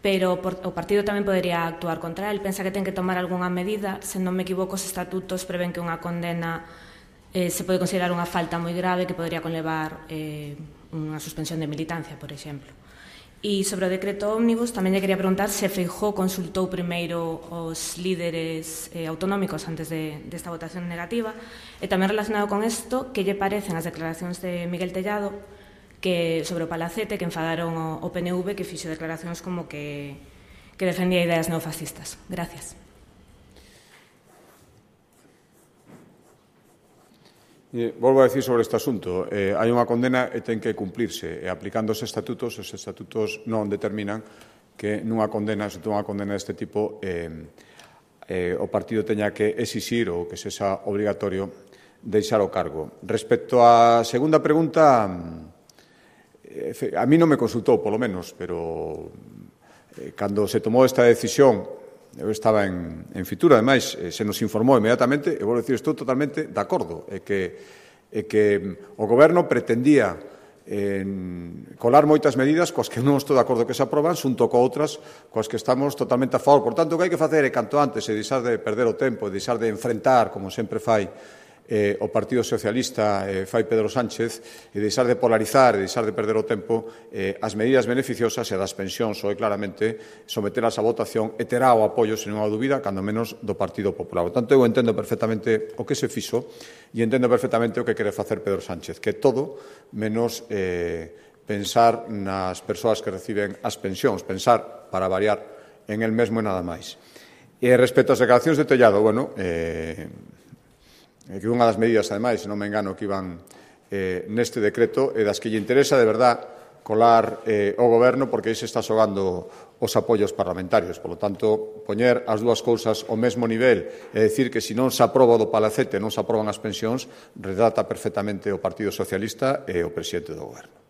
pero por, o partido tamén podería actuar contra el. Pensa que ten que tomar algunha medida. Se non me equivoco, os estatutos prevén que unha condena eh, se pode considerar unha falta moi grave que podría conlevar eh, unha suspensión de militancia, por exemplo. E sobre o decreto ómnibus, tamén lle quería preguntar se Feijóo consultou primeiro os líderes eh, autonómicos antes de, desta votación negativa, e tamén relacionado con isto, que lle parecen as declaracións de Miguel Tellado que sobre o Palacete, que enfadaron o, o P N V, que fixo declaracións como que, que defendía ideas neofascistas. Gracias. Eh, volvo a decir sobre este asunto. Eh, hai unha condena e ten que cumplirse. E aplicando os estatutos, os estatutos non determinan que nunha condena, se unha condena deste tipo, eh, eh, o partido teña que exixir ou que sexa obligatorio deixar o cargo. Respecto á segunda pregunta, a mí non me consultou, polo menos, pero eh, cando se tomou esta decisión eu estaba en, en Fitura, ademais, se nos informou inmediatamente, e vou dicir, estou totalmente de acordo, é que, é que o Goberno pretendía en colar moitas medidas coas que non estou de acordo que se aproban, xunto co outras coas que estamos totalmente a favor. Por tanto, o que hai que facer é canto antes e deixar de perder o tempo, e deixar de enfrentar, como sempre fai eh, o Partido Socialista, eh, fai Pedro Sánchez, e deixar de polarizar e deixar de perder o tempo, eh, as medidas beneficiosas e das pensións, ou claramente sometelas a votación e terá o apoio, sen unha dúbida, cando menos do Partido Popular. Por tanto, eu entendo perfectamente o que se fixo e entendo perfectamente o que quere facer Pedro Sánchez, que todo menos eh, pensar nas persoas que reciben as pensións, pensar, para variar, en el mesmo e nada máis. E respecto ás declaracións de Tellado, bueno, eh, que unha das medidas, ademais, se non me engano, que iban eh, neste decreto, e das que lle interesa de verdad colar eh, o Goberno, porque aí se está xogando os apoios parlamentarios. Por lo tanto, poñer as dúas cousas ao mesmo nivel e decir que se non se aproba do palacete non se aproban as pensións, retrata perfectamente o Partido Socialista e o presidente do Goberno.